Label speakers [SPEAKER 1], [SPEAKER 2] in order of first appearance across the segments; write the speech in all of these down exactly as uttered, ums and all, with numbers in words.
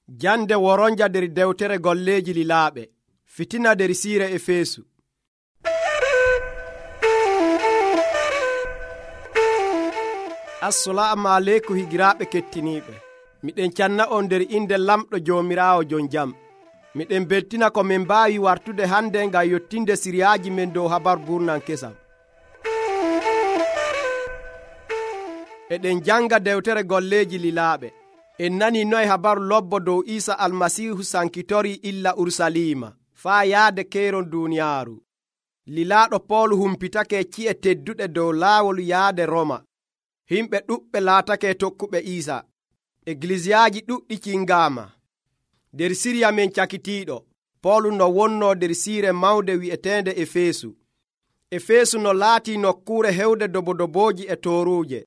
[SPEAKER 1] Jande woronja nder dewtere golleeji lilaaɓe. Fitina nder siire Efeesu. Assalamu aleykum higiraaɓe kettiniiɓe. Miɗen canna on nder inde lamɗo Joomiraawo jon jam. Miɗen beltina ko min mbaawi wartude hande ngam yottinde siriyaaji men dow habar burnan kesam. Eɗen janga dewtere golleeji lilaaɓe. En nani noye habaru lobbo dow Iisa almasihu sankitori illa Urusalima faa yaade keyron duuniyaaru. Lilaaɗo Poolu humpitake ci'e tedduɗe dow laawol yaade Roma. Himɓe ɗuɓɓe laatake tokkuɓe Iisa. Egliziyaaji ɗuɗɗi cingaama. Der siriya men cakitiiɗo, Poolu no wonno der siire mawnde wi'eteende Efeesu. Efeesu no laatii nokkuure hewde dobodobooji e tooruuje.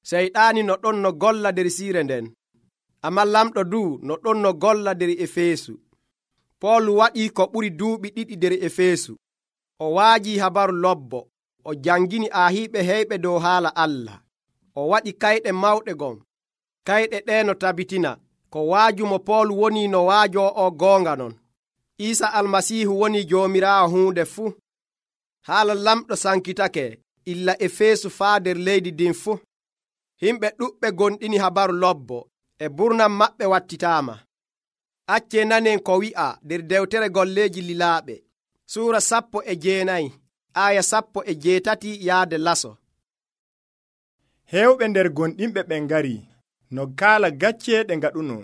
[SPEAKER 1] Seyɗaani no ɗon no golla der siire nden. Ammaa lamɗo du no ɗon no golla der Efeesu. Poolu waɗii ko ɓuri duuɓi ɗiɗi der Efeesu. O waajii habaru lobbo. O jangini aahiiɓe heyɓe dow haala Allah. O waɗi kayɗe mawɗe gon. Kayɗe ɗee no tabitina ko waajumo Poolu woni no waajo o goonga non. Iisa almasiihu woni Joomiraawo huunde fuu. Haala lamɗo sankitake illa Efeesu faa der leydi ndin fuu. Himɓe ɗuɓɓe gonɗini habaru lobbo e burnam maɓɓe wattitaama. Accee nanen ko wi'a der dewtere golleeji lilaaɓe suura sappo e jeenayi aya sappo e jeetati yaade laso.
[SPEAKER 2] Heewɓe nder gonɗinɓe ɓen ngari no kaala gacceeɗe ngaɗuno.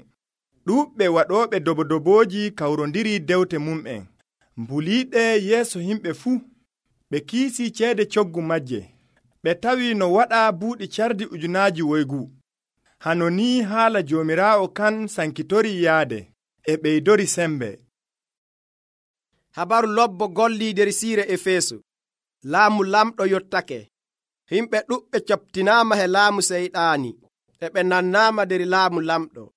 [SPEAKER 2] Ɗuuɓɓe waɗooɓe dobodobooji kawrondiri dewte mum'en, mbuliiɗe yeeso himɓe fuu. Ɓe kiisii ceede coggu majje. Ɓe tawi no waɗa buuɗi cardi ujunaaji woygu. Hano ni haala Joomiraawo kan sankitori yaade e ɓeydori sembe.
[SPEAKER 1] Habaru lobbo gollii der siire Efeesu. Laamu lamɗo yottake. Himɓe ɗuɓɓe coptinaama he laamu seyɗaani e ɓe nannaama der laamu lamɗo.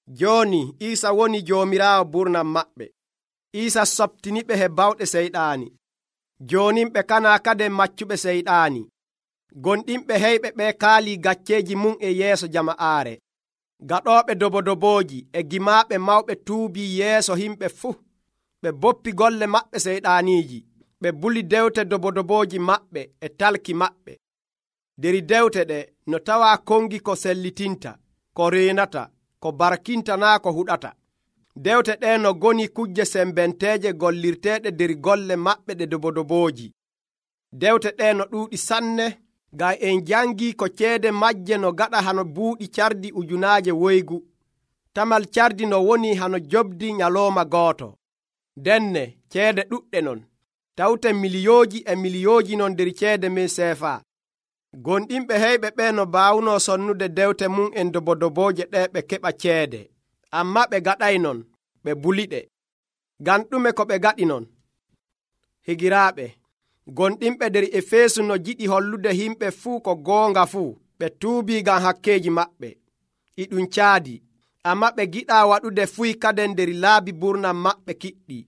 [SPEAKER 1] Jooni Iisa woni Joomiraawo burnam maɓɓe. Iisa soptiniɓe he bawɗe seyɗaani. Joonin ɓe kanaa kade maccuɓe seyɗaani. Gonɗinɓe heyɓe ɓe kaalii gacceeji mum e yeeso jama'aare. Gaɗooɓe dobodobooji e gimaaɓe mawɓe tuubii yeeso himɓe fuu. Ɓe boppi golle maɓɓe seyɗaaniiji. Ɓe buli dewte dobodobooji maɓɓe e talki maɓɓe. Der dewte ɗe no tawaa kongi ko sellitinta, ko reenata, ko barkinta naa ko huɗata. Dewte ɗe no goni kujje sembenteeje gollirteeɗe der golle maɓɓe ɗe dobodobooji. Dewte ɗe no ɗuuɗi sanne, ngam en jangii ko ceede majje no gaɗa hano buuɗi cardi ujunaaje woygu. Tamal cardi no woni hano jobdi nyalooma gooto. Denne ceede ɗuɗɗe non, tawte miliyooji e miliyooji non der ceede men seefaa. Gonɗinɓe heyɓe ɓe no baawno sonnude dewte mum en dobodobooje ɗe ɓe keɓa ceede. Ammaa ɓe gaɗay non, ɓe buliɗe. Ngam ɗume ko ɓe gaɗi non? Higiraaɓe, gonɗinɓe der Efeesu no jiɗi hollude himɓe fuu ko goonga fuu. Ɓe tuubii ngam hakkeeji maɓɓe. E ɗum caadi, ammaa ɓe giɗaa waɗude fuy kaden der laabi burnam maɓɓe kiɗɗi.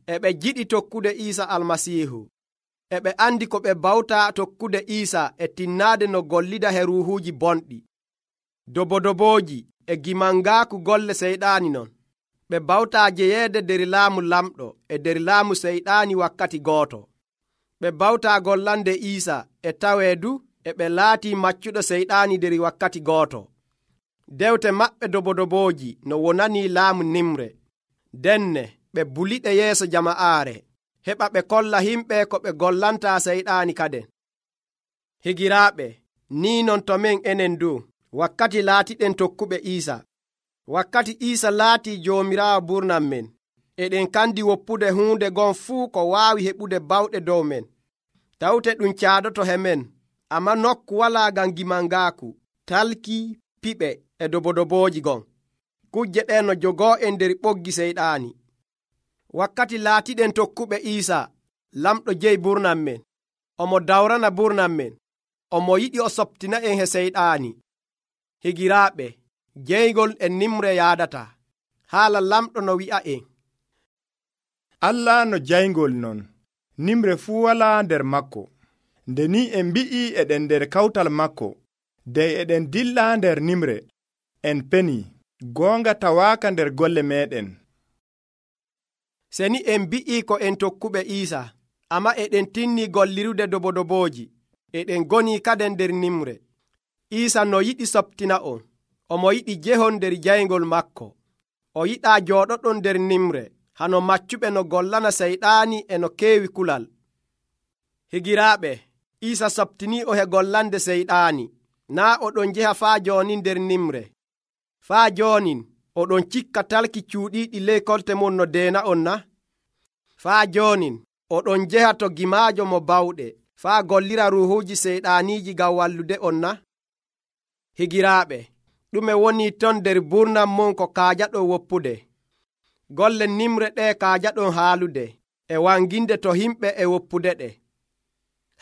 [SPEAKER 1] E ɓe jiɗi tokkude Iisa almasiihu. E ɓe andi ko ɓe bawtaa tokkude Iisa e tinnaade no gollida he ruuhuuji bonɗi. Dobodobooji e gimangaaku golle seyɗaani non. Ɓe bawtaa jeyeede der laamu lamɗo e der laamu seyɗaani wakkati gooto. Ɓe bawtaa gollande Iisa e tawee du e ɓe laatii maccuɗo seyɗaani der wakkati gooto. Dewte maɓɓe dobodobooji no wonanii laamu nimre. Denne ɓe buliɗe yeeso jama'aare, heɓa ɓe kolla himɓe ko ɓe gollantaa seyɗaani kaden. Higiraaɓe, nii non to men enen du, wakkati laatiɗen tokkuɓe Iisa. Wakkati Iisa laatii Joomiraawo burnam men, eɗen kandi woppude huunde gon fuu ko waawi heɓude bawɗe dow men. Tawte ɗum caadoto he men, ammaa nokku walaa ngam gimangaaku, talki, piɓe e dobodobooji gon. Kujje ɗe no jogoo en der ɓoggi seyɗaani. Wakkati laatiɗen tokkuɓe Iisa, lamɗo jeyi burnam men, omo dawrana burnam men, omo yiɗi o soptina en he seyɗaani. Higiraaɓe, jeygol e nimre yaadata. Haala lamɗo no wi'a en.
[SPEAKER 2] Allah no jayngol non, nimre fuu walaa nder makko. Nde ni en mbi'i eɗen nder kawtal makko, dey eɗen dilla nder nimre, en peni, goonga tawaaka nder golle meeɗen.
[SPEAKER 1] Seni en bi'ii ko en tokkuɓe Iisa, amma eɗen tinni gollirude dobodobooji, eɗen goni kaden nder nimre. Iisa no yiɗi soptina on, omo yiɗi jehon nder jayngol makko. O yiɗaa jooɗoɗon nder nimre, hano maccuɓe no gollana seyɗaani e no keewi kulal. Higiraaɓe, Iisa soptinii o he gollande seyɗaani, naa oɗon njeha faa jooni nder nimre. Faa joonin oɗon cikka talki cuuɗiiɗi ley kolte mon no deena on na? Faa joonin oɗon njeha to gimaajo mo bawɗe, faa gollira ruuhuuji seyɗaaniiji ngam wallude on na? Higiraaɓe, ɗume woni ton nder burnam mon ko kaajaɗon woppude? Golle nimre ɗee kaajaɗon haalude, e wanginde to himɓe e woppude ɗe.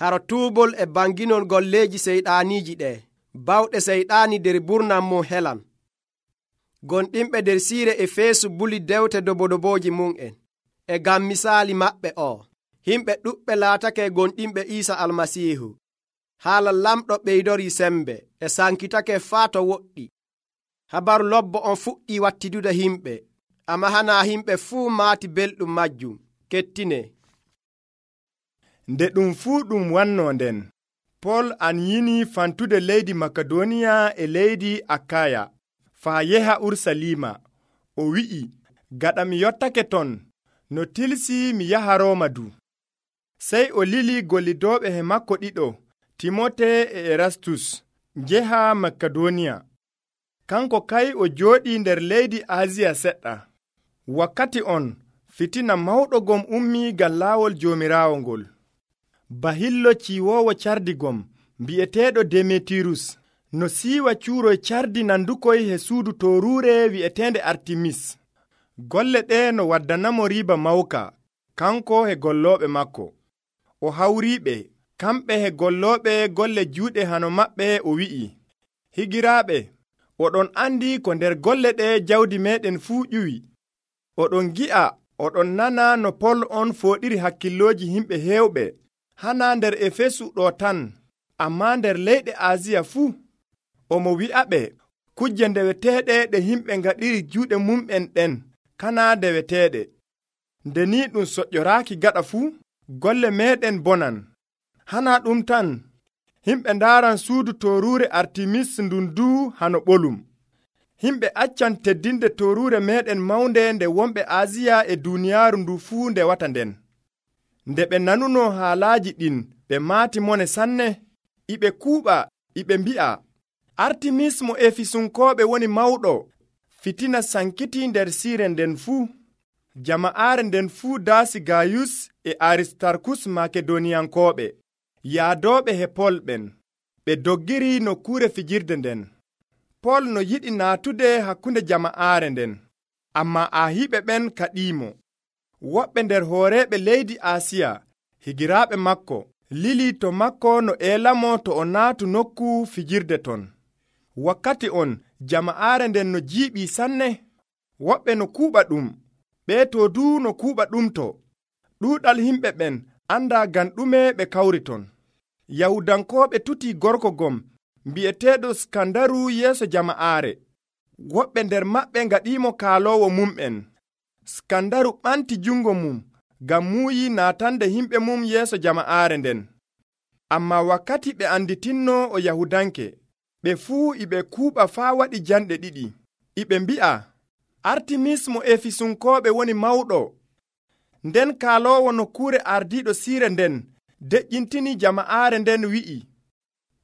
[SPEAKER 1] Haro tuubol e banginon golleeji seyɗaaniiji ɗee, bawɗe seyɗaani nder burnam mon helan. Gonɗinɓe nder siire Efeesu buli dewte dobodobooji mum'en, e ngam misaali maɓɓe o, himɓe ɗuɓɓe laatake gonɗinɓe Iisa Almasiihu. Haala lamɗo ɓeydorii sembe, e sankitake faa to woɗɗi. Habaru lobbo on fuɗɗii wattidude himɓe, amma hanaa himɓe fuu maati belɗum majjum. Kettine.
[SPEAKER 2] Nde ɗum fuu ɗum wannoo nden, Pol an yini fantude leydi Makedoniya e leydi Akaya, faa yeha Urusalima. O wi'i, gaɗa mi yottake ton, no tilsi mi yaha Rooma du. Sey o lili gollidooɓe he makko ɗiɗo, Timote e Erastus, njeha Makedoniya. Kanko kay o jooɗii nder leydi Asiya seɗɗa. Wakkati on, fitina mawɗo gom ummii ngam laawol Joomiraawo ngol. Bahillo ciwoowo cardigom, bi'eteeɗo Demetirus, no siiwa cuuroy cardi nandukoy he suudu tooruure wi'eteende Artimis. Golle ɗe no waddanamo riiba mawka, kanko he gollooɓe makko. O hawriiɓe, kamɓe he gollooɓe golle juuɗe hano maɓɓe, o wi'i, higiraaɓe, oɗon andi ko nder golle ɗe jawdi meeɗen fuu ƴuwi. Oɗon gi'a, oɗon nana no Pol on fooɗiri hakkillooji himɓe heewɓe, hana nder Efesu ɗo tan, ammaa nder leyɗe Asiya fuu. Omo wi'aɓe, kujje ndeweteeɗe ɗe himɓe ngaɗiri juuɗe mum'en ɗen, kana ndeweteeɗe. Nde ni ɗum soƴƴoraaki gaɗa fuu, golle meeɗen bonan. Hana ɗum tan, himɓe ndaaran suudu tooruure Artimis ndun duu hano ɓolum. Himɓe accan teddinde tooruure meeɗen mawnde nde wonɓe Asiya e duuniyaaru ndu fuu ndewata nden. Nde ɓe nanuno haalaaji ɗin, ɓe maati mone sanne, iɓe kuuɓa, iɓe mbi'a, Artimis mo Efisunkooɓe woni mawɗo. Fitina sankiti nder siire nden fuu. Jama'aare nden fuu daasi Gayus e Aristarkus Makedoniyankooɓe, yaadooɓe he Pol ɓen. Ɓe doggiri nokkuure fijirde nden. Pol no yiɗi naatude hakkunde jama'aare nden, ammaa ahiiɓe ɓen kaɗiimo. Woɓɓe nder hooreeɓe leydi Asiya, higiraaɓe makko, lili to makko no eelamo to o naatu nokku fijirde ton. Wakkati on, jama'aare nden no jiiɓii sanne. Woɓɓe no kuuɓa ɗum, ɓee to duu no kuuɓa ɗum to. Ɗuuɗal himɓe ɓen andaa ngam ɗume ɓe kawri ton. Yahudankooɓe tutii gorko gom, mbi'eteeɗo Skandaru yeeso jama'aare. Woɓɓe nder maɓɓe ngaɗiimo kaaloowo mum'en. Skandaru ɓanti jungo mum, ngam muuyi naatande himɓe mum yeeso jama'aare nden. Ammaa wakkati ɓe anditinno o Yahudanke, ɓe fuu iɓe kuuɓa faa waɗi janɗe ɗiɗi. Iɓe mbi'a, Artimis mo Efisunkooɓe woni mawɗo. Nden kaaloowo nokkuure ardiiɗo siire nden deƴƴintini jama'aare nden wi'i,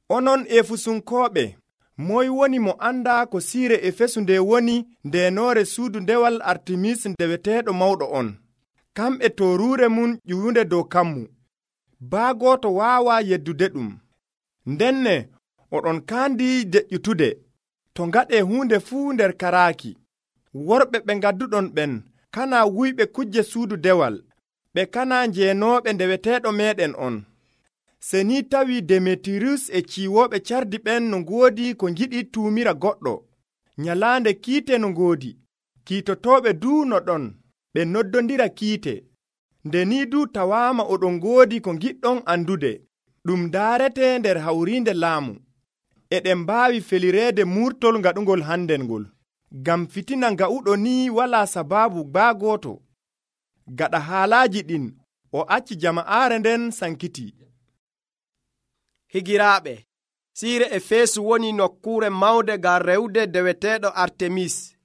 [SPEAKER 2] onon Efisunkooɓe, moy woni mo andaa ko siire Efesu nde woni ndeenoore suudu ndewal Artimis ndeweteeɗo mawɗo on. Kamɓe tooruure mum ƴuwunde dow kammu. Baa gooto waawaa yeddude ɗum. Ndenne oɗon kaandi deƴƴutude, to ngaɗee huunde fuu nder karaaki. Worɓe ɓe ngadduɗon ɓen, kana wuyɓe kujje suudu dewal, ɓe kana njeenooɓe ndeweteeɗo meeɗen on. Se ni tawi Demetirus e ciwooɓe cardi ɓen no ngoodi ko ngiɗi tuumira goɗɗo, nyalaande kiite no ngoodi, kiitotooɓe duu no ɗon, ɓe noddondira kiite. Nde ni duu tawaama oɗon ngoodi ko ngiɗɗon andude, ɗum daarete nder hawriinde laamu. Eɗen mbaawi felireede murtol ngaɗungol hannden ngol. ngam fitina nga'uɗo ni walaa sabaabu baa gooto. Gaɗa haalaaji ɗin o acci jama'aare nden sankiti.
[SPEAKER 1] Higiraaɓe, siire Efeesu woni nokkuure mawnde ngam rewde deweteeɗo Artemis.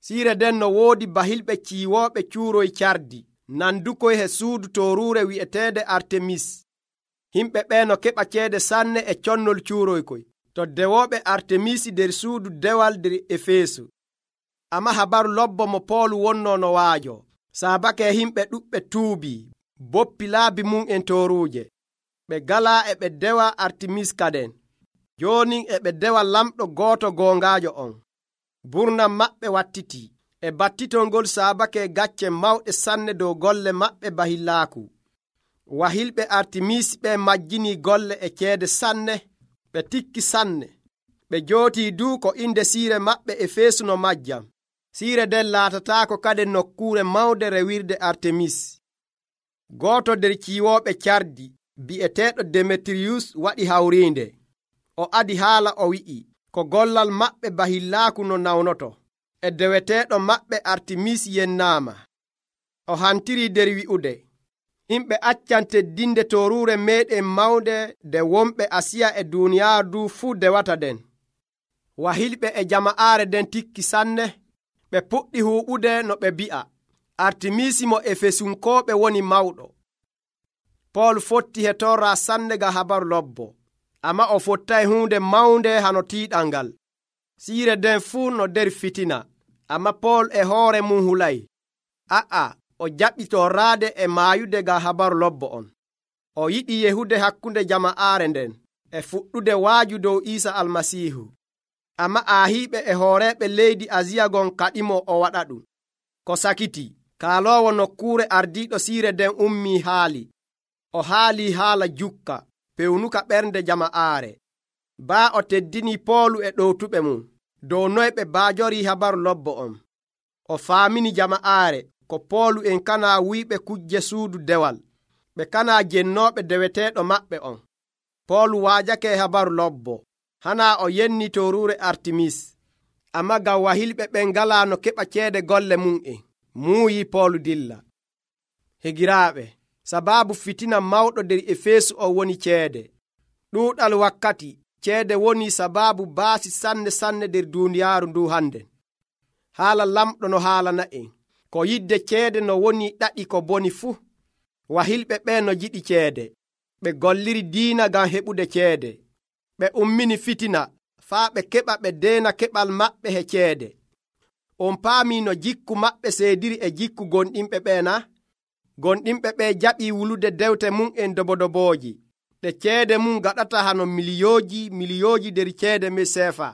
[SPEAKER 1] Siire nden no woodi bahilɓe ciiwooɓe cuuroy cardi nandukoy he suudu tooruure wi'eteede Artemis. Himɓe ɓee no keɓa ceede sanne e connol cuuroykoy to dewooɓe Artemisi nder suudu dewal nder Efeesu. Amma habaru lobbo mo Poolu wonnoo no waajo. Saabake himɓe ɗuɓɓe tuubii boppi laabi mum en tooruuje. Ɓe galaa e ɓe dewa Artemis kaden. Jooni e ɓe dewa lamɗo gooto goongaajo on. Burnam maɓɓe wattitii e battitol ngol saabake gacce mawɗe sanne dow golle maɓɓe bahillaaku. Wahilɓe Artemis ɓe majjinii golle e ceede sanne. Ɓe tikki sanne. Ɓe jootii duu ko inde siire maɓɓe Efeesu no majjam. Siire nden laatataako kade nokkuure mawnde rewirde Artemis. Gooto nder ciiwooɓe cardi bi'eteeɗo Demetiriyus waɗi hawriinde. O adi haala o wi'i ko gollal maɓɓe bahillaaku no nawnoto e deweteeɗo maɓɓe Artemis yennaama. O hantirii nder wi'ude himɓe accan teddinde tooruure meeɗen mawnde nde wonɓe Asiya e duuniyaaru du fuu dewata den. Wahilɓe e jama'aare den tikki sanne. Ɓe puɗɗi huuɓude no ɓe bi'a Artemisi mo Efesunkooɓe woni mawɗo. Pool fotti he torra sanne ga habaru lobbo, amma o fottay huunde mawnde hano tiiɗal ngal. Siire den fuu no nder fitina, amma Pool e hoore mum hulay. A'a, o jaɓi torraade e maayude ga habaru lobbo on. O yiɗi yehude hakkunde jama'aare nden e fuɗɗude waaju dow Iisa Almasiihu. Amma aahiiɓe e hooreeɓe leydi Asiya gon kaɗimo o waɗa ɗum. Ko sakiti, kaaloowo nokkuure ardiiɗo siire nden ummii haali. O haalii haala jukka, pewnuka ɓernde jama'aare. Baa o teddinii Poolu e ɗowtuɓe mum dow noy ɓe baajorii habaru lobbo on. O faamini jama'aare ko Poolu en kanaa wuyɓe kujje suudu dewal. Ɓe kanaa jennooɓe deweteeɗo maɓɓe on. Poolu waajake habaru lobbo. Hanaa o yenni tooruure Artemis. Amma ngam wahilɓe ɓen ngalaa no keɓa ceede golle mum en, muuyi Poolu dilla. Higiraaɓe, sabaabu fitina mawɗo nder Efeesu o woni ceede. Ɗuuɗal wakkati ceede woni sabaabu baasi sanne sanne nder duuniyaaru ndu hande. Haala lamɗo no haalana en ko yidde ceede no woni ɗaɗi ko boni fuu. Wahilɓe ɓen no jiɗi ceede. Ɓe golliri diina ngam heɓude ceede. Ɓe ummini fitina faa ɓe keɓa ɓe deena keɓal maɓɓe he ceede. On paamii no jikku maɓɓe seediri e jikku gonɗinɓe ɓee na? Gonɗinɓe ɓee jaɓii wulude dewte mum en dobodobooji. Ɗe ceede mum gaɗata hano miliyooji miliyooji nder ceede me seefa,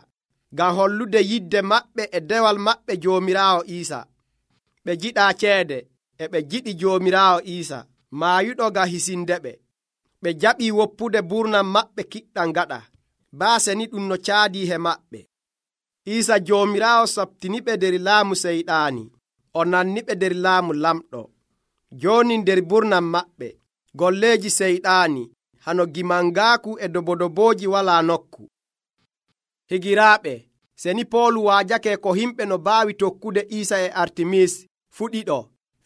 [SPEAKER 1] ngam hollude yidde maɓɓe e dewal maɓɓe Joomiraawo Iisa. Ɓe jiɗaa ceede e ɓe jiɗi Joomiraawo Iisa, maayuɗo ngam hisindeɓe. Ɓe jaɓii woppude burnam maɓɓe kiɗɗam gaɗa, baase ni ɗum no caadii he maɓɓe. Iisa Joomiraawo sabtiniɓe nder laamu seyɗaani, o nanniɓe nder laamu lamɗo. Jooni nder burnam maɓɓe, golleeji seyɗaani hano gimangaaku e dobodobooji walaa nokku. Higiraaɓe, seni Poolu waajake ko himɓe no baawi tokkude Iisa e Artemis fuɗiɗo,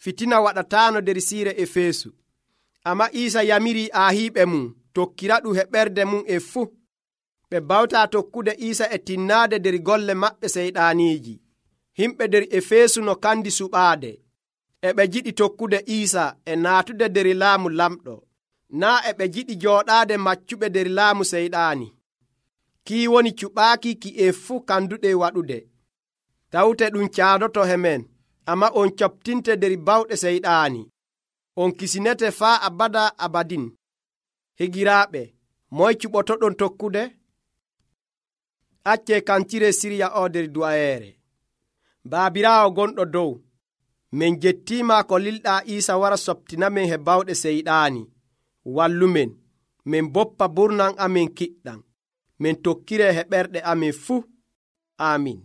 [SPEAKER 1] fitina waɗataano nder siire Efeesu. Amma Iisa yamirii aahiiɓe mum tokkira ɗum he ɓernde mum e fuu. Ɓe bawtaa tokkude Iisa e tinnaade nder golle maɓɓe seyɗaaniiji. Himɓe nder Efeesu no kandi suɓaade. E ɓe jiɗi tokkude Iisa e naatude nder laamu lamɗo. Naa e ɓe jiɗi jooɗaade maccuɓe nder laamu seyɗaani. Kii woni cuɓaaki ki e fuu kanduɗe waɗude. Tawte ɗum caadoto he men, amma on coɓtinte nder bawɗe seyɗaani. On kisinete faa abada abadin. Higiraaɓe, moy cuɓotoɗon tokkude? Accee kancire sirya o nder du'ayeere. Baabiraawo gonɗo dow, min jettiima ko lilɗaa Iisa wara soɓtinamen he bawɗe seyɗaani. Wallumen, min boppa burnan amin kiɗɗam. Min tokkire he ɓerɗe amin fuu. Amin.